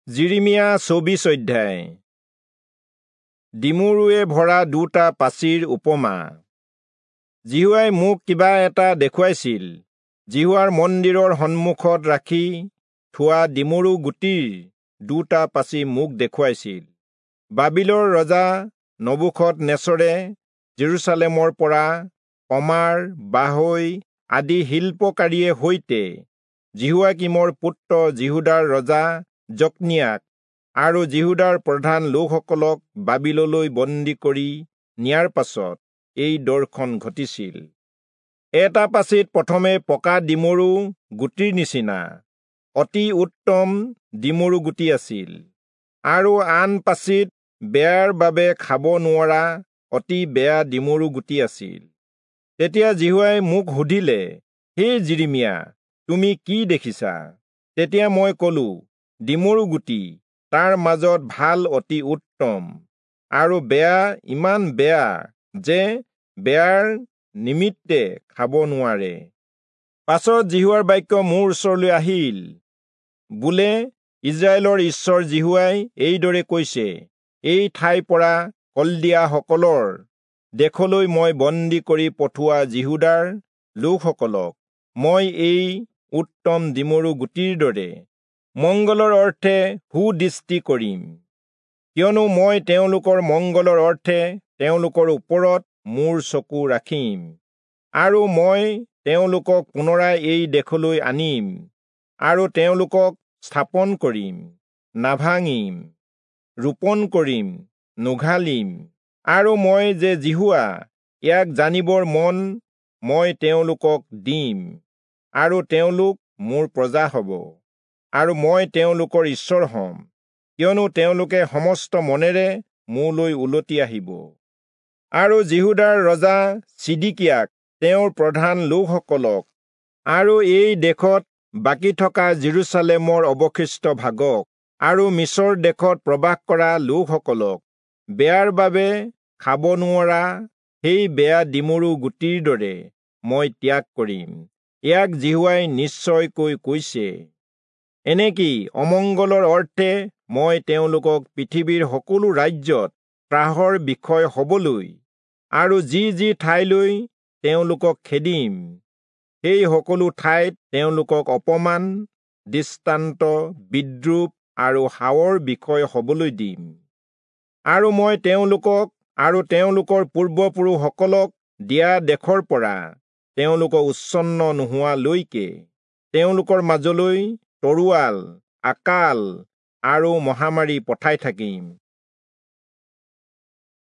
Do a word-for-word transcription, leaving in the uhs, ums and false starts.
যিৰিমিয়া চৌবিশ অধ্যায়। ডিমৰুৱে ভৰা দুটা পাচিৰ উপমা। যিহোৱাই মোক কিবা এটা দেখুৱাইছিল। যিহোৱাৰ মন্দিৰৰ সন্মুখত ৰাখি থোৱা ডিমৰু গুটিৰ দুটা পাচি মোক দেখুৱাইছিল। বাবিলৰ ৰজা নবূখদনেচৰে জেৰুচালেমৰ পৰা কমাৰ, বাঢ়ৈ আদি শিল্পকাৰীয়ে সৈতে যিহোৱাকীমৰ পুত্ৰ যিহূদাৰ ৰজা জকনিয়াক আৰু যিহূদাৰ প্ৰধান লোকসকলক বাবিললৈ বন্দী কৰি নিয়াৰ পাছত এই দৰ্শন ঘটিছিল। এটা পাচিত প্ৰথমে পকা ডিমৰু গুটিৰ নিচিনা অতি উত্তম ডিমৰু গুটি আছিল, আৰু আন পাচিত বেয়াৰ বাবে খাব নোৱাৰা অতি বেয়া ডিমৰু গুটি আছিল। তেতিয়া যিহোৱাই মোক সুধিলে, হে যিৰিমিয়া, তুমি কি দেখিছা? তেতিয়া মই কলো, ডিমৰু গুটি, তাৰ মাজত ভাল অতি উত্তম, আৰু বেয়া ইমান বেয়া যে বেয়াৰ নিমিত্তে খাব নোৱাৰে। পাছত যিহোৱাৰ বাক্য মোৰ ওচৰলৈ আহিল, বোলে, ইস্ৰায়েলৰ ঈশ্বৰ যিহোৱাই এইদৰে কৈছে, এই ঠাইৰ পৰা কলদীয়াসকলৰ দেশলৈ মই বন্দী কৰি পঠোৱা যিহূদাৰ লোকসকলক মই এই উত্তম ডিমৰু গুটিৰ দৰে মংগলৰ অৰ্থে সুদৃষ্টি কৰিম, কিয়নো মই তেওঁলোকৰ মংগলৰ অৰ্থে তেওঁলোকৰ ওপৰত মোৰ চকু ৰাখিম, আৰু মই তেওঁলোকক পুনৰাই এই দেশলৈ আনিম, আৰু তেওঁলোকক স্থাপন কৰিম, নাভাঙিম, ৰোপণ কৰিম, নুঘালিম, আৰু মই যে যিহোৱা, ইয়াক জানিবৰ মন মই তেওঁলোকক দিম, আৰু তেওঁলোক মোৰ প্ৰজা হ'ব, আৰু মই তেওঁলোকৰ ঈশ্বৰ হ'ম, কিয়নো তেওঁলোকে সমস্ত মনেৰে মোলৈ উলটি আহিব। আৰু যিহূদাৰ ৰজা চিদিকিয়াক, তেওঁৰ প্ৰধান লোকসকলক, আৰু এই দেশত বাকী থকা জেৰুচালেমৰ অৱশিষ্ট ভাগক, আৰু মিচৰ দেশত প্ৰবাস কৰা লোকসকলক বেয়াৰ বাবে খাব নোৱাৰা সেই বেয়া ডিমৰু গুটিৰ দৰে মই ত্যাগ কৰিম, ইয়াক যিহোৱাই নিশ্চয়কৈ কৈছে। এনেকি অমংগলৰ অৰ্থে মই তেওঁলোকক পৃথিৱীৰ সকলো ৰাজ্যত ত্ৰাসৰ বিষয় হবলৈ, আৰু যি যি ঠাইলৈ তেওঁলোকক খেদিম, সেই সকলো ঠাইত তেওঁলোকক অপমান, দৃষ্টান্ত, বিদ্ৰূপ আৰু হাৱৰ বিষয় হবলৈ দিম। আৰু মই তেওঁলোকক আৰু তেওঁলোকৰ পূৰ্বপুৰুষসকলক দিয়া দেশৰ পৰা তেওঁলোকক উচ্ছন্ন নোহোৱালৈকে তেওঁলোকৰ মাজলৈ তৰোৱাল, আকাল আৰু মহামাৰী পঠাই থাকিম।